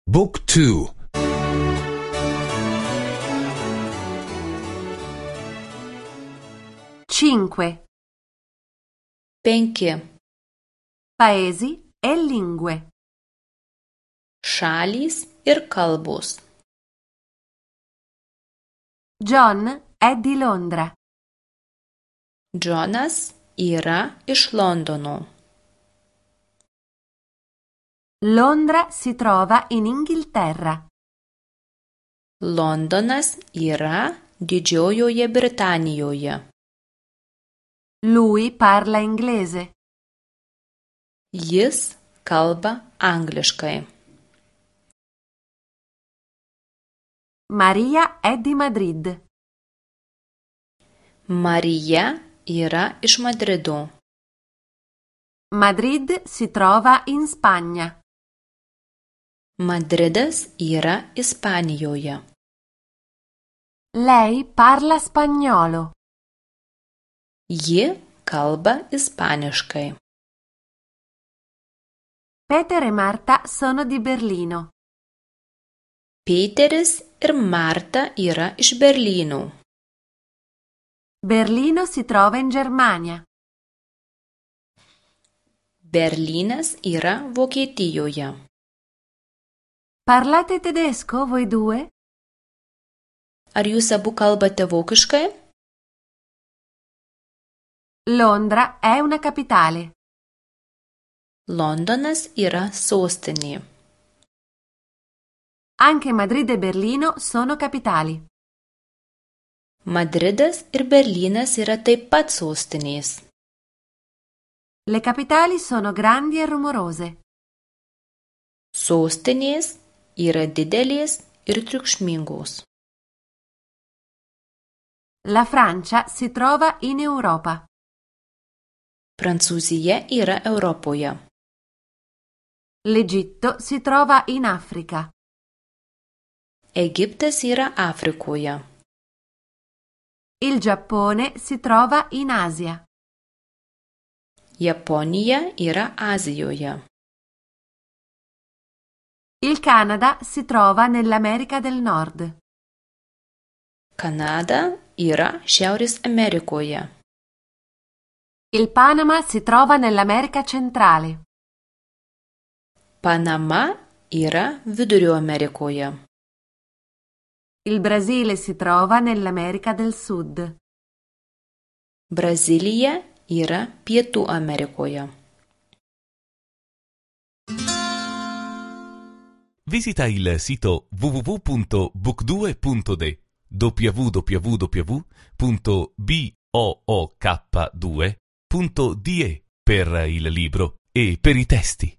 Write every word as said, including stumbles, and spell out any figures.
Book two. cinque. Penki. Paesi e lingue. Šalys ir kalbos. John è di Londra. Džonas yra iš Londono. Londra si trova in Inghilterra. Londonas yra Didžiojoje Britanijoje. Lui parla inglese. Jis kalba angliškai. Maria è di Madrid. Marija yra iš Madrido. Madrid si trova in Spagna. Madridas yra Ispanijoje. Lei parla spagnolo. Ji kalba ispaniškai. Peter e Marta sono di Berlino. Peteris ir Marta yra iš Berlyno. Berlino si trova in Germania. Berlynas yra Vokietijoje. Parlate tedesco voi due? Ar jūs abu kalbate vokiškai? Londra è una capitale. Londonas yra sostinė. Anche Madrid e Berlino sono capitali. Madridas ir Berlynas yra taip pat sostinės. Le capitali sono grandi e rumorose. Sostinės yra didelės ir triukšmingos. La Francia si trova in Europa. Prancūzija yra Europoje. L'Egitto si trova in Africa. Egiptas yra Afrikoje. Il Giappone si trova in Asia. Japonija yra Azijoje. Il Canada si trova nell'America del Nord. Kanada yra Šiaurės Amerikoje. Il Panama si trova nell'America centrale. Panama yra Vidurio Amerikoje. Il Brasile si trova nell'America del Sud. Brazilija yra Pietų Amerikoje. Visita il sito w w w punto book due punto d w w w punto book due punto d e per il libro e per i testi.